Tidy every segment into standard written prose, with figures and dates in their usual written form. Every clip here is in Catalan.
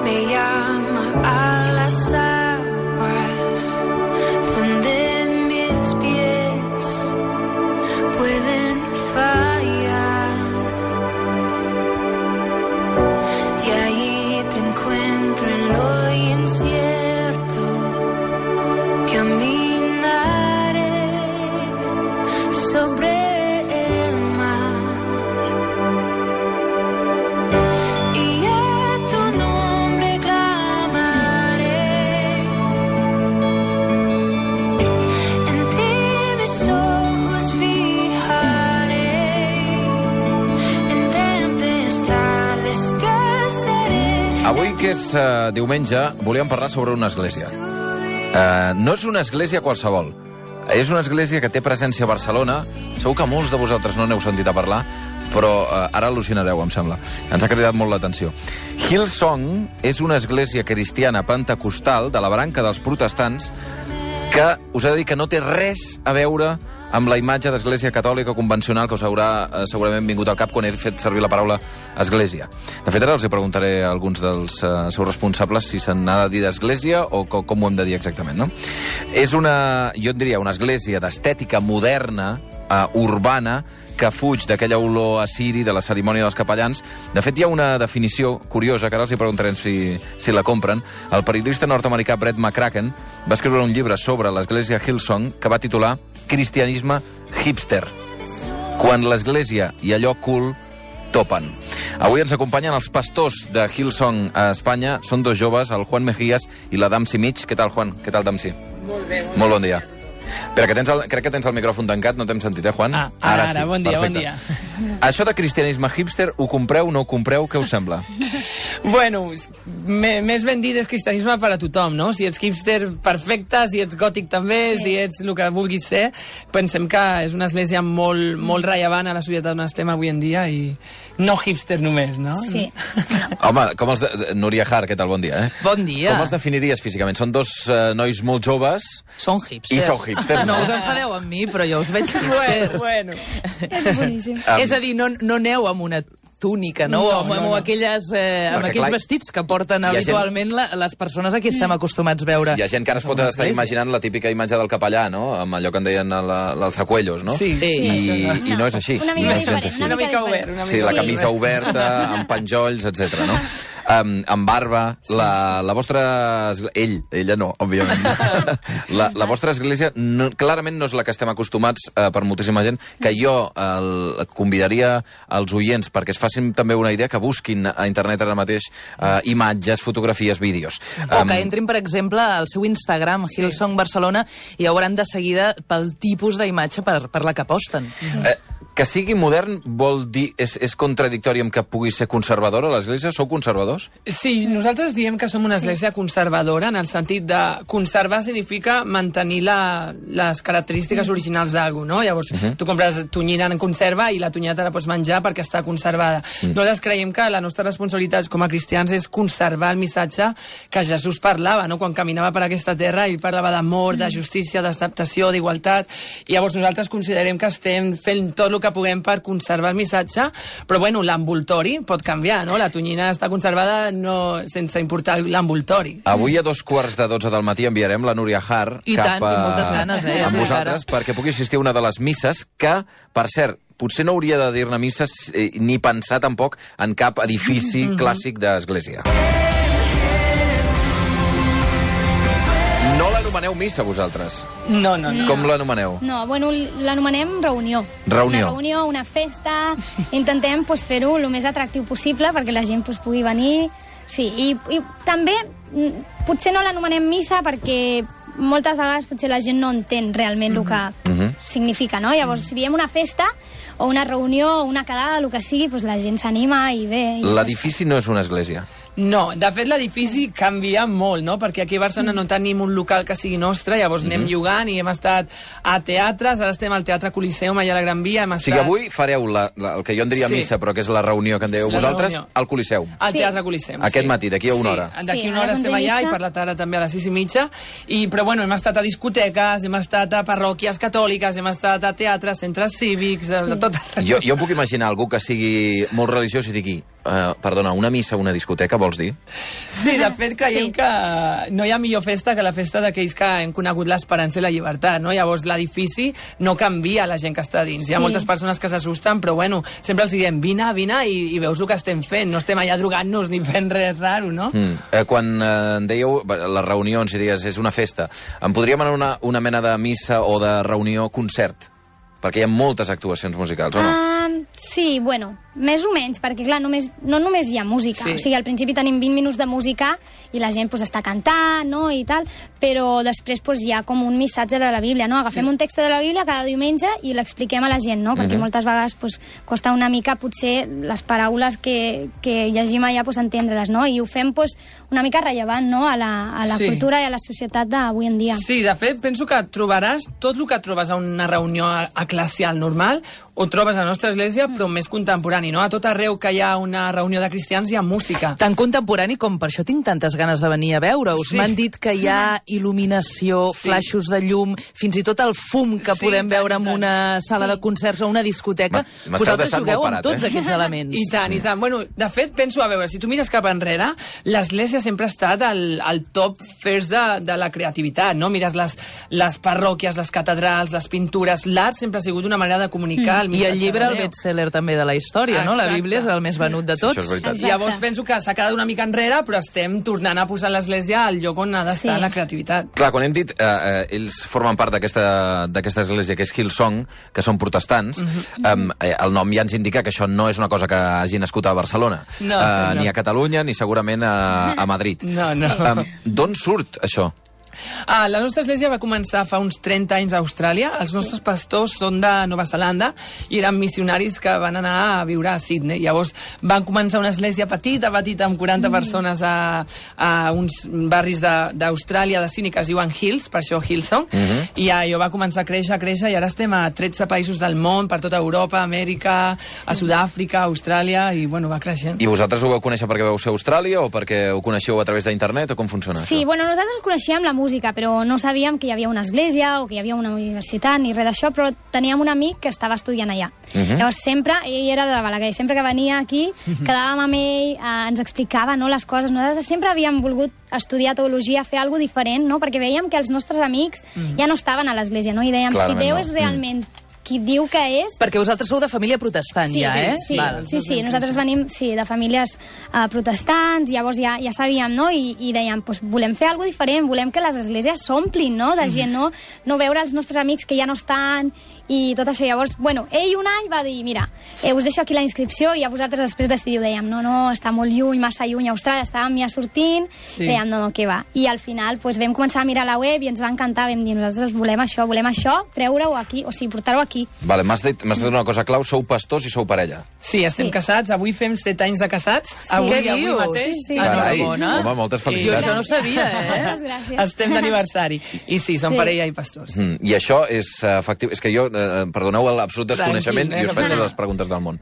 me llama a las aguas donde mis pies pueden fallar, y ahí te encuentro en lo incierto, caminaré sobre el mar, y a tu nombre clamaré. En ti mis ojos fijaré, en tempestad descansaré. Avui, que és diumenge, volíem parlar sobre una església. No és una església qualsevol. És una església que té presència a Barcelona. Segur que molts de vosaltres no n'heu sentit a parlar, però ara al·lucinareu, em sembla. Ens ha cridat molt l'atenció. Hillsong és una església cristiana pentecostal de la branca dels protestants que us he de dir que no té res a veure amb la imatge d'església catòlica convencional que us haurà segurament vingut al cap quan he fet servir la paraula església. De fet, ara els preguntaré a alguns dels seus responsables si se n'ha de dir d'església o com ho hem de dir exactament, no? És una, jo en diria, una església d'estètica moderna, urbana, que fuig d'aquella olor assiri de la cerimònia dels capellans. De fet, hi ha una definició curiosa, que ara els preguntarem si la compren. El periodista nord-americà Brett McCracken va escriure un llibre sobre l'església Hillsong que va titular Cristianisme hipster, quan l'església i allò cool topen. Avui ens acompanyen els pastors de Hillsong a Espanya. Són dos joves, el Juan Mejías i la Damsi Mig. Què tal, Juan? Què tal, Damsi? Molt bé. Molt bon dia. Espera, crec que tens el micròfon tancat, no t'hem sentit, Juan? Ara sí, bon dia, perfecte. bon dia. Això de cristianisme hipster, ho compreu, no ho compreu? Què us sembla? Bueno, més ben dit és cristianisme per a tothom, no? Si ets hipster, perfecte, si ets gòtic també, si ets el que vulguis ser. Pensem que és una església molt rellevant a la societat on estem avui en dia i no hipster només, no? Sí. Home, com els de... Núria Har, què tal? Bon dia, Bon dia. Com els definiries físicament? Són dos nois molt joves... Són hipsters. I són hipsters, no? No us enfadeu amb mi, però jo us veig hipsters. Bueno. És boníssim. És a dir, no aneu amb una túnica, no? Amb aquelles, amb aquells vestits que porten habitualment les persones a qui estem acostumats a veure. Hi ha gent que ara es pot estar imaginant la típica imatge del capellà, no? Amb allò que en deien l'alzacuellos, no? Sí. I no és així. Una mica diferent. Una mica obert. Sí, la camisa oberta, amb penjolls, etc. no? Amb barba. La vostra... Ella no, òbviament. La vostra església clarament no és la que estem acostumats per moltíssima gent, que jo convidaria als oients perquè es facin també una idea, que busquin a internet ara mateix imatges, fotografies, vídeos. O que entrin, per exemple, al seu Instagram, Hillsong Barcelona, i hauran de seguida pel tipus d'imatge per la que posten. Que sigui modern vol dir... És contradictori amb que pugui ser conservadora l'església? Sou conservadors? Sí, nosaltres diem que som una església conservadora, en el sentit de conservar significa mantenir les característiques originals d'algú, no? Llavors, tu compres tonyina en conserva i la tonyina te la pots menjar perquè està conservada. Nosaltres creiem que la nostra responsabilitat com a cristians és conservar el missatge que Jesús parlava, no? Quan caminava per aquesta terra, ell parlava d'amor, de justícia, d'acceptació, d'igualtat, i llavors nosaltres considerem que estem fent tot el que puguem per conservar el missatge, però bueno, l'envoltori pot canviar, no? La tonyina està conservada sense importar l'envoltori. Avui a 2:15 del matí enviarem la Núria Har I cap tant, i moltes ganes, amb vosaltres perquè pugui assistir a una de les misses que, per cert, potser no hauria de dir-ne misses ni pensar tampoc en cap edifici clàssic d'església. No l'anomeneu missa, vosaltres? No. Com l'anomeneu? No, bueno, l'anomenem reunió. Reunió. Una reunió, una festa. Intentem fer-ho el més atractiu possible perquè la gent pugui venir. Sí, i també potser no l'anomenem missa perquè moltes vegades potser la gent no entén realment el que significa, no? Llavors, si diem una festa o una reunió o una quedada, el que sigui, doncs la gent s'anima i bé. L'edifici no és una església. No, de fet l'edifici canvia molt, no? Perquè aquí a Barcelona no tenim un local que sigui nostre, llavors anem jugant i hem estat a teatres, ara estem al Teatre Coliseum allà a la Gran Via, hem estat... O sigui, avui fareu el que jo en diria missa, però que és la reunió que en dèieu vosaltres, al Coliseum. Al Teatre Coliseum, Aquest matí, d'aquí a una hora. D'aquí a una hora estem allà i per la tarda també a les 6:30. Però bueno, hem estat a discoteques, hem estat a parròquies catòliques, hem estat a teatres, centres cívics, de tot arreu. Jo puc imaginar algú que sigui molt religiós i digui Perdona, una missa, una discoteca, vols dir? Sí, de fet, creiem que no hi ha millor festa que la festa d'aquells que hem conegut l'esperança i la llibertat, no? Llavors, l'edifici no canvia la gent que està dins. Hi ha moltes persones que s'assusten, però bueno, sempre els diem, vine i veus el que estem fent. No estem allà drogant-nos ni fent res raro, no? Quan dèieu les reunions i digues, és una festa, em podríem anar una mena de missa o de reunió concert? Perquè hi ha moltes actuacions musicals, o no? Sí, bueno, més o menys, perquè clar, no només hi ha música. O sigui, al principi tenim 20 minuts de música i la gent està cantant, no?, i tal, però després hi ha com un missatge de la Bíblia, no? Agafem un text de la Bíblia cada diumenge i l'expliquem a la gent, no? Perquè moltes vegades costa una mica, potser, les paraules que llegim allà, entendre-les, no? I ho fem una mica rellevant, no?, a la cultura i a la societat d'avui en dia. Sí, de fet, penso que trobaràs tot el que trobes a una reunió eclesial normal, ho trobes a la nostra església, però més contemporani, no? A tot arreu que hi ha una reunió de cristians hi ha música. Tan contemporani com per això tinc tantes ganes de venir a veure-us. M'han dit que hi ha il·luminació, flaixos de llum, fins i tot el fum que podem veure en una sala de concerts o una discoteca. Vosaltres jugueu amb tots aquests elements. I tant, i tant. Bueno, de fet, penso, a veure, si tu mires cap enrere, l'església sempre ha estat al top first de la creativitat, no? Mires les parròquies, les catedrals, les pintures, l'art sempre ha sigut una manera de comunicar I el llibre, el bestseller també de la història, no? La Bíblia és el més venut de tots. Sí, llavors penso que s'ha quedat una mica enrere, però estem tornant a posar l'església al lloc on ha d'estar la creativitat. Clar, quan hem dit ells formen part d'aquesta església que és Hillsong, que són protestants, el nom ja ens indica que això no és una cosa que hagi nascut a Barcelona, ni a Catalunya, ni segurament a Madrid. D'on surt això? La nostra església va començar fa uns 30 anys a Austràlia. Els nostres pastors són de Nova Zelanda i eren missionaris que van anar a viure a Sydney. Llavors van començar una església petita, amb 40 persones a uns barris d'Austràlia, de Sydney, que es diuen Hills, per això Hillsong, i allò va començar a créixer i ara estem a 13 països del món, per tota Europa, Amèrica, a Sud-àfrica, Austràlia, i bueno, va creixent. I vosaltres ho vau conèixer perquè vau ser a Austràlia o perquè ho coneixeu a través d'internet o com funciona això? Sí, bueno, nosaltres coneixíem la música, però no sabíem que hi havia una església o que hi havia una universitat ni res d'això, però teníem un amic que estava estudiant allà. Llavors sempre, ell era de Balaguer, sempre que venia aquí, quedàvem amb ell, ens explicava les coses. Nosaltres sempre havíem volgut estudiar teologia, fer alguna cosa diferent, no? Perquè veiem que els nostres amics ja no estaven a l'església, no? I dèiem, si Déu és realment qui diu que és... Perquè vosaltres sou de família protestant, eh? Sí, nosaltres venim de famílies protestants, llavors ja sabíem, no? I dèiem, volem fer alguna cosa diferent, volem que les esglésies s'omplin, no? De gent, no veure els nostres amics que ja no estan i tot això. Llavors, bueno, ell un any va dir, mira, us deixo aquí la inscripció i a vosaltres després decidiu. Dèiem, no, està molt lluny, massa lluny a Austràlia, estàvem ja sortint, dèiem, no, què va. I al final vam començar a mirar la web i ens va encantar, vam dir, nosaltres volem això, treure-ho aquí, o sigui, portar-ho aquí. Vale, m'has dit una cosa clau, sou pastors i sou parella. Sí, estem casats, avui fem 7 anys de casats. Què dius? Avui mateix. Carai, home, moltes felicitats. Jo això no ho sabia, Moltes gràcies. Estem d'aniversari. I sí, som parella i pastors. I això és efectiu... És que jo, perdoneu l'absolut desconeixement i us faig les preguntes del món.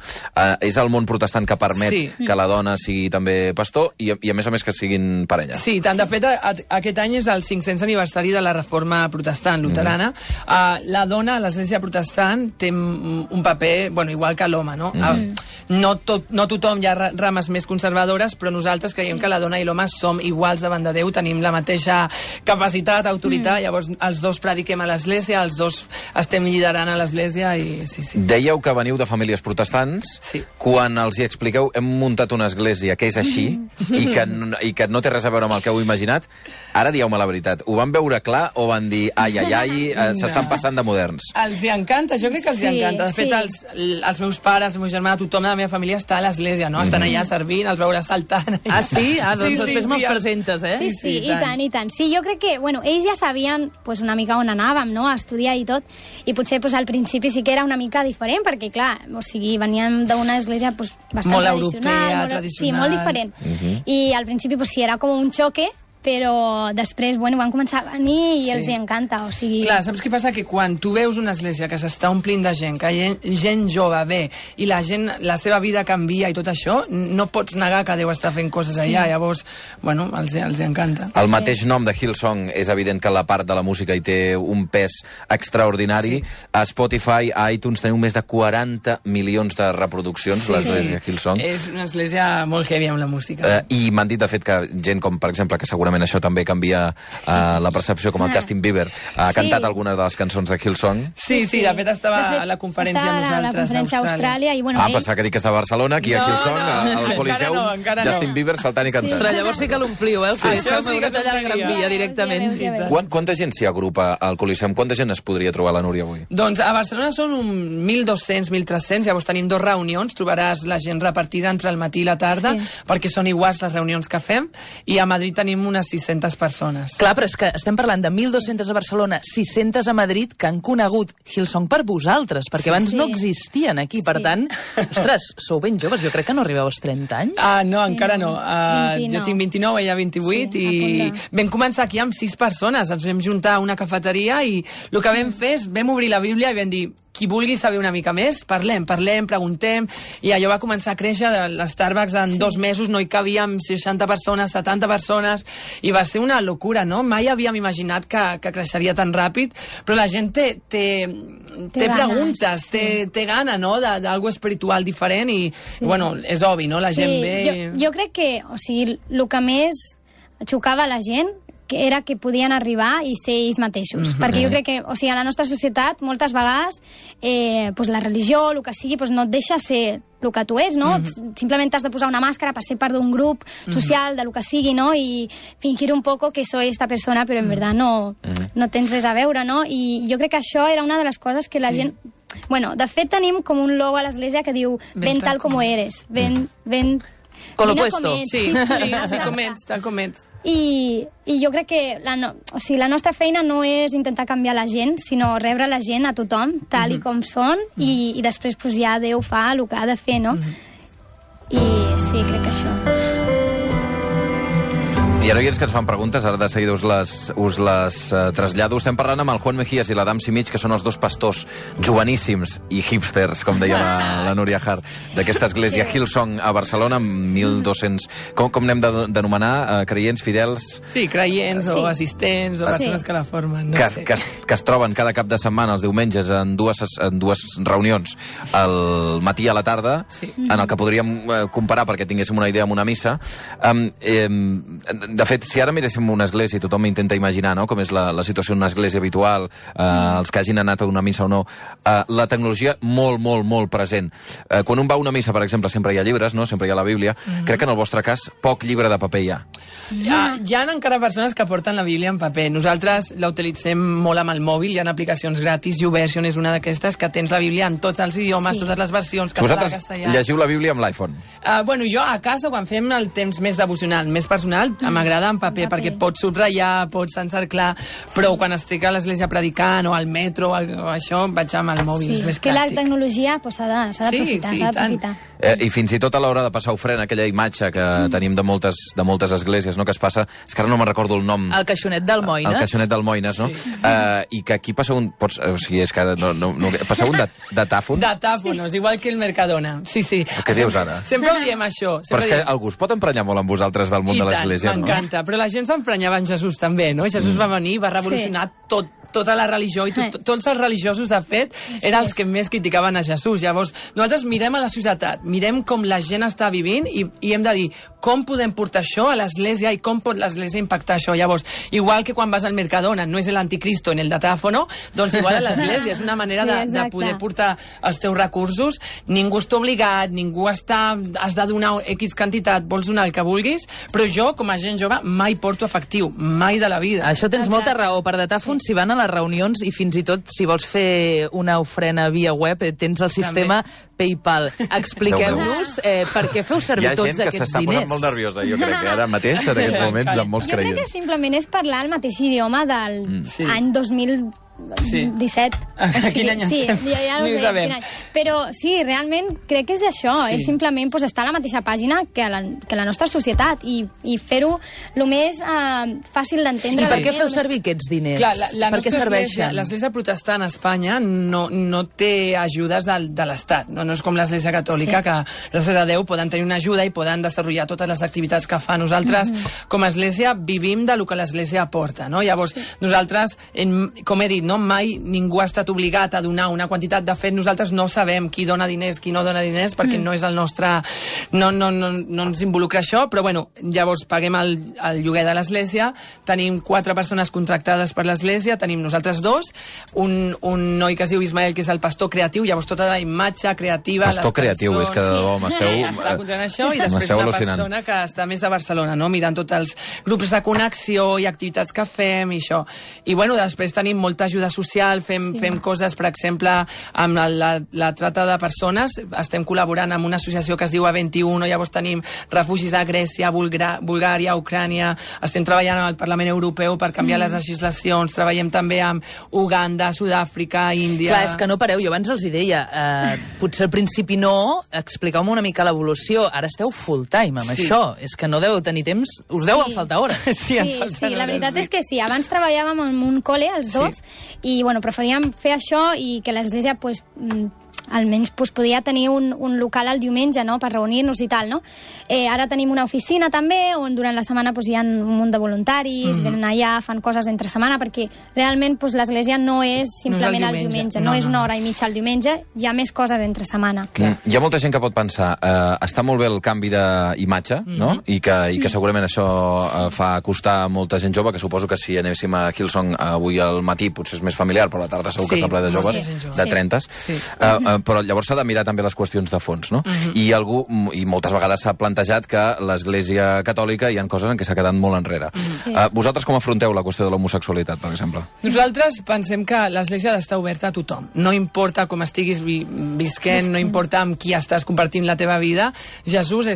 És el món protestant que permet que la dona sigui també pastor i a més que siguin parella. Sí, tant. De fet, aquest any és el 500 aniversari de la reforma protestant luterana. La dona a l'església protestant té un paper, igual que l'home, no? No tothom hi ha rames més conservadores, però nosaltres creiem que la dona i l'home som iguals davant de Déu, tenim la mateixa capacitat, autoritat, llavors els dos prediquem a l'església, els dos estem liderant a l'església i sí. Dèieu que veniu de famílies protestants. Quan els hi expliqueu, hem muntat una església que és així i que no té res a veure amb el que heu imaginat, ara dieu-me la veritat. Ho van veure clar o van dir, ai, s'estan passant de moderns? Els hi encanta, jo crec que els hi encanta. De fet, els meus pares, el meu germà, tothom de la meva família està a l'església, no? Estan allà servint, els veuràs saltant. Ah, sí? Doncs després me'ls presentes, eh? Sí, i tant. Sí, jo crec que, ells ja sabien una mica on anàvem, no?, a estudiar i tot, i potser al principi sí que era una mica diferent, perquè, clar, veníem d'una església bastant molt tradicional. Europea, tradicional. Sí, molt diferent. I al principi sí, era com un xoque, però després, van començar a venir i els hi encanta, o sigui... Clar, saps què passa? Que quan tu veus una església que s'està omplint de gent, que gent jove ve, i la gent, la seva vida canvia i tot això, no pots negar que Déu està fent coses allà, llavors, els encanta. El mateix nom de Hillsong és evident que la part de la música hi té un pes extraordinari. A Spotify, a iTunes, teniu més de 40 milions de reproduccions, l'església Hillsong. És una església molt heavy amb la música. I m'han dit, de fet, que gent com, per exemple, que segurament això també canvia la percepció, com el Justin Bieber ha cantat algunes de les cançons de Hillsong. Sí, de fet estava a la conferència amb nosaltres. Estava a la conferència a Austràlia. Pensava que dic que estava a Barcelona, aquí a Hillsong, al Coliseum, Justin Bieber saltant i cantant. Ostres, llavors sí que l'ompliu, el Coliseum, m'hauràs d'allà a la Gran Via directament. Quanta gent s'hi agrupa al Coliseum? Quanta gent es podria trobar la Núria avui? Doncs a Barcelona són 1.200, 1.300, llavors tenim 2 reunions, trobaràs la gent repartida entre el matí i la tarda, perquè són iguals les reunions que fem, i a Madrid tenim unes 600 persones. Clar, però és que estem parlant de 1.200 a Barcelona, 600 a Madrid, que han conegut Hillsong per vosaltres, perquè abans no existien aquí. Per tant, ostres, sou ben joves. Jo crec que no arribeu als 30 anys. No, encara no. Jo tinc 29, ella 28, i vam començar aquí amb 6 persones. Ens vam juntar a una cafeteria i el que vam fer és, vam obrir la Bíblia i vam dir, qui vulgui saber una mica més, parlem, preguntem, i allò va començar a créixer. L'Starbucks en 2 mesos no hi cabíem 60 persones, 70 persones, i va ser una locura, no? Mai havíem imaginat que creixeria tan ràpid, però la gent té preguntes, té gana, no?, d'algo espiritual diferent, i, és obvi, no?, la gent ve... Jo crec que, o sigui, el que més xocava a la gent que era que podien arribar i ser ells mateixos. Perquè jo crec que, o sigui, a la nostra societat, moltes vegades, la religió, el que sigui, no et deixa ser el que tu ets, no? Simplement t'has de posar una màscara per ser part d'un grup social, de lo que sigui, no? I fingir un poco que soy esta persona, però en verdad no tens res a veure, no? I jo crec que això era una de les coses que la gent... de fet, tenim com un logo a l'església que diu ven tal como eres, ven... Con lo puesto. Sí, tal com ets. I jo crec que la nostra feina no és intentar canviar la gent, sinó rebre la gent a tothom, tal i com són, i després ja Déu fa el que ha de fer, no? I sí, crec que això... Hi ha oients que ens fan preguntes, ara de seguida us les trasllado. Estem parlant amb el Juan Mejías i l'Adam Simich, que són els 2 pastors joveníssims i hipsters, com deia la Núria Hart, d'aquesta església Hillsong a Barcelona, amb 1.200... Com n'hem d'anomenar? Creients, fidels? Sí, creients o assistents o persones que la formen. Que es troben cada cap de setmana, els diumenges, en dues reunions, al matí i a la tarda, en el que podríem comparar, perquè tinguéssim una idea, amb una missa. De fet, si ara miréssim una església i tothom intenta imaginar, no?, com és la situació en una església habitual, els que hagin anat a una missa o no, la tecnologia molt, molt, molt present. Quan un va a una missa, per exemple, sempre hi ha llibres, no?, sempre hi ha la Bíblia. Crec que en el vostre cas, poc llibre de paper hi ha. Hi ha encara persones que porten la Bíblia en paper. Nosaltres la utilitzem molt amb el mòbil, hi ha aplicacions gratis, YouVersion és una d'aquestes, que tens la Bíblia en tots els idiomes, totes les versions, català, castellà... Vosaltres llegiu la Bíblia amb l'iPhone? Jo a casa, quan fem el temps més devocional, més personal, m'agrada en paper, perquè pots subratllar, pots encerclar, però quan estic a l'església predicant o al metro o això, vaig amb el mòbil, és més pràctic. Que la tecnologia s'ha d'aprofitar. I fins i tot a l'hora de passar ofrena, aquella imatge que tenim de moltes esglésies, no?, que es passa, és que ara no me'n recordo el nom. El caixonet d'Almoines. El caixonet d'Almoines, no? I que aquí passa un... O sigui, és que ara passa un datàfon? Datàfonos, igual que el Mercadona. Sí. Què dius ara? Sempre ho diem, això. Però és que algú es pot emprenyar molt amb vosaltres del món de l'església, no? M'encanta, però la gent s'emprenyava en Jesús també, no? Jesús va venir, va revolucionar tota la religió, i tots els religiosos, de fet, eren els que més criticaven a Jesús. Llavors, nosaltres mirem a la societat, mirem com la gent està vivint i hem de dir com podem portar això a l'església i com pot l'església impactar això. Llavors, igual que quan vas al Mercadona, no és l'anticristo en el datáfono, doncs igual a l'església. És una manera de poder portar els teus recursos. Ningú està obligat, has de donar X quantitat, vols donar el que vulguis, però jo, com a gent jove, mai porto efectiu, mai de la vida. Això tens molta raó. Per datàfon, si van a les reunions, i fins i tot si vols fer una ofrena via web, tens el sistema PayPal. Expliqueu-nos per què feu servir tots aquests diners. Hi ha gent que s'està posant molt nerviosa, jo crec, ara mateix, en aquests moments, amb molts creients. Jo crec que simplement és parlar el mateix idioma del any 2000 17. Quin any sí, estem? ja no Ni ho sé, sabem. quin any. Però sí, realment crec que és això, és simplement estar a la mateixa pàgina que la nostra societat i fer-ho el més fàcil d'entendre. I per què feu servir aquests diners? Clar, per què serveixen? L'església protestant a Espanya no té ajudes de l'Estat. No és com l'església catòlica, que gràcies a Déu poden tenir una ajuda i poden desenvolupar totes les activitats que fa. Nosaltres, com a església, vivim de lo que l'església aporta. No? Llavors, nosaltres, com he dit, mai ningú ha estat obligat a donar una quantitat. De fet, nosaltres no sabem qui dona diners, qui no dona diners, perquè no és el nostre... No ens involucra això, però bueno, llavors paguem el lloguer de l'església, tenim 4 persones contractades per l'església, tenim nosaltres 2, un noi que es diu Ismael, que és el pastor creatiu, llavors tota la imatge creativa... Pastor creatiu, és que de debò m'esteu... Està contant això, i després una persona que està més de Barcelona, no? Mirant tots els grups de connexió i activitats que fem i això. I bueno, després tenim molta ajuda social, fem coses, per exemple, amb la trata de persones, estem col·laborant amb una associació que es diu A21, llavors tenim refugis a Grècia, Bulgària, Ucrània, estem treballant amb el Parlament Europeu per canviar les legislacions, treballem també amb Uganda, Sud-àfrica, Índia... Clar, és que no pareu, jo abans els hi deia, potser al principi no, expliqueu-me una mica l'evolució, ara esteu full time amb això, és que no deveu tenir temps, us deuen faltar hores. Sí, la veritat és que sí, abans treballàvem en un col·le, els dos, i bueno, preferíem fer això i que l'església almenys podia tenir un local al diumenge, no?, per reunir-nos i tal, no? Ara tenim una oficina també, on durant la setmana hi ha un munt de voluntaris, venen allà, fan coses entre setmana, perquè realment l'església no és simplement el diumenge, no és una hora i mitja al diumenge, hi ha més coses entre setmana. Hi ha molta gent que pot pensar, està molt bé el canvi d'imatge, no?, i que segurament això fa costar molta gent jove, que suposo que si anéssim a Hillsong avui al matí potser és més familiar, però a la tarda segur que està ple de joves, de 30. Però llavors s'ha de mirar també les qüestions de fons, no? I moltes vegades s'ha plantejat que l'Església Catòlica hi ha coses en què s'ha quedat molt enrere. Vosaltres com afronteu la qüestió de l'homosexualitat, per exemple? Nosaltres pensem que l'Església ha d'estar oberta a tothom. No importa com estiguis visquent, no importa amb qui estàs compartint la teva vida, Jesús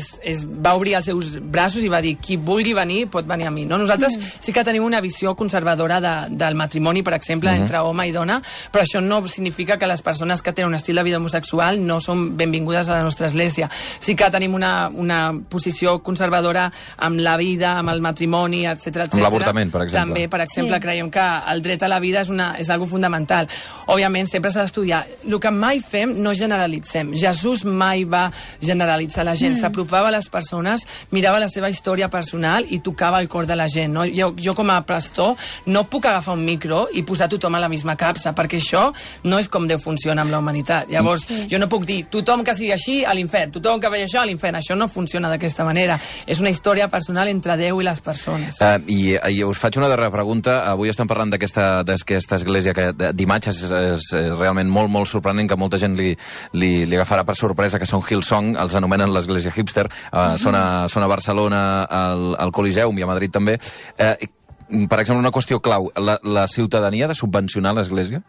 va obrir els seus braços i va dir, qui vulgui venir pot venir a mi. No? Nosaltres sí que tenim una visió conservadora del matrimoni, per exemple, entre home i dona, però això no significa que les persones que tenen un estil de vida homosexual no són benvingudes a la nostra església. Sí que tenim una posició conservadora amb la vida, amb el matrimoni, etc. Amb l'avortament, per exemple. També, per exemple, creiem que el dret a la vida és algo fundamental. Òbviament, sempre s'ha d'estudiar. El que mai fem, no generalitzem. Jesús mai va generalitzar la gent. S'apropava a les persones, mirava la seva història personal i tocava el cor de la gent. No? Jo com a pastor, no puc agafar un micro i posar tothom a la misma capsa, perquè això no és com Déu funciona amb la humanitat. Llavors, jo no puc dir, tothom que sigui així, a l'infern, tothom que vegi això, a l'infern. Això no funciona d'aquesta manera. És una història personal entre Déu i les persones. I us faig una darrera pregunta. Avui estem parlant d'aquesta església d'imatges és realment molt, molt sorprenent, que molta gent li agafarà per sorpresa, que són Hillsong, els anomenen l'església hipster. Són a Barcelona, al Coliseum i a Madrid també. Per exemple, una qüestió clau, la ciutadania ha de subvencionar l'església?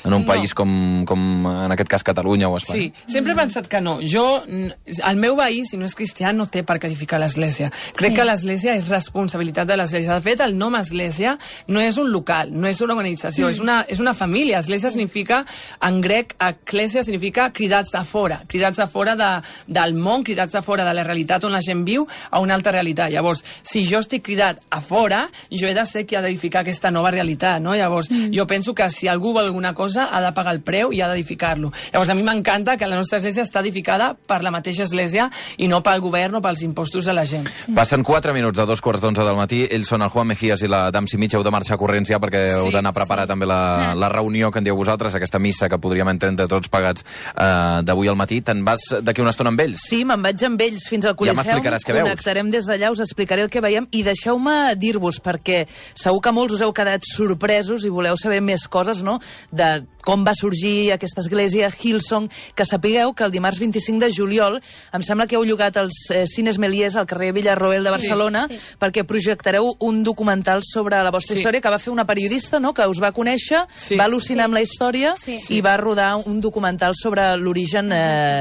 En un país com en aquest cas Catalunya o Espanya? Sí, sempre he pensat que no. El meu veí, si no és cristià, no té per què edificar l'església. Crec que l'església és responsabilitat de l'església. De fet, el nom església no és un local, no és una organització, és una família. Església significa, en grec, eclèsia significa cridats de fora. Cridats de fora del món, cridats de fora de la realitat on la gent viu a una altra realitat. Llavors, si jo estic cridat a fora, jo he de ser qui ha d'edificar aquesta nova realitat, no? Llavors, jo penso que si algú vol alguna cosa, ha de pagar el preu i ha d'edificar-lo. Llavors, a mi m'encanta que la nostra església està edificada per la mateixa església i no pel govern o pels impostos de la gent. Passen 4 minuts de 2:45 del matí. Ells són el Juan Mejías i la Damsi Mitja. Heu de marxar corrents ja perquè heu d'anar a preparar també la reunió que en dieu vosaltres, aquesta missa que podríem entrar entre tots pagats d'avui al matí. Te'n vas d'aquí una estona amb ells? Sí, me'n vaig amb ells fins al Coliseum. Ja m'explicaràs què veus. Connectarem des d'allà, us explicaré el que veiem i deixeu-me dir-vos, perquè segur que molts us heu quedat sorpresos i voleu saber més coses, no?, de com va sorgir aquesta església, Hillsong, que sapigueu que el dimarts 25 de juliol em sembla que heu llogat els Cines Meliers al carrer Villarroel de Barcelona perquè projectareu un documental sobre la vostra història que va fer una periodista, no?, que us va conèixer, va al·lucinar amb la història i va rodar un documental sobre l'origen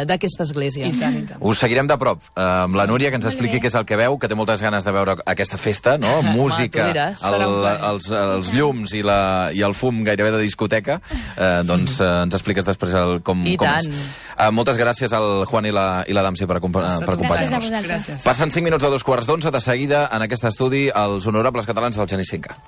d'aquesta església. I tant, i tant. Us seguirem de prop amb la Núria, que ens expliqui què és el que veu, que té moltes ganes de veure aquesta festa, no? Música, els llums i el fum gairebé de discoteca. Doncs ens expliques després com és. Moltes gràcies al Juan i la Damsi per acompanyar-nos. Gràcies a vosaltres. Passen 5 minuts a 2 quarts d'11. De seguida, en aquest estudi, els honorables catalans del Genís 5.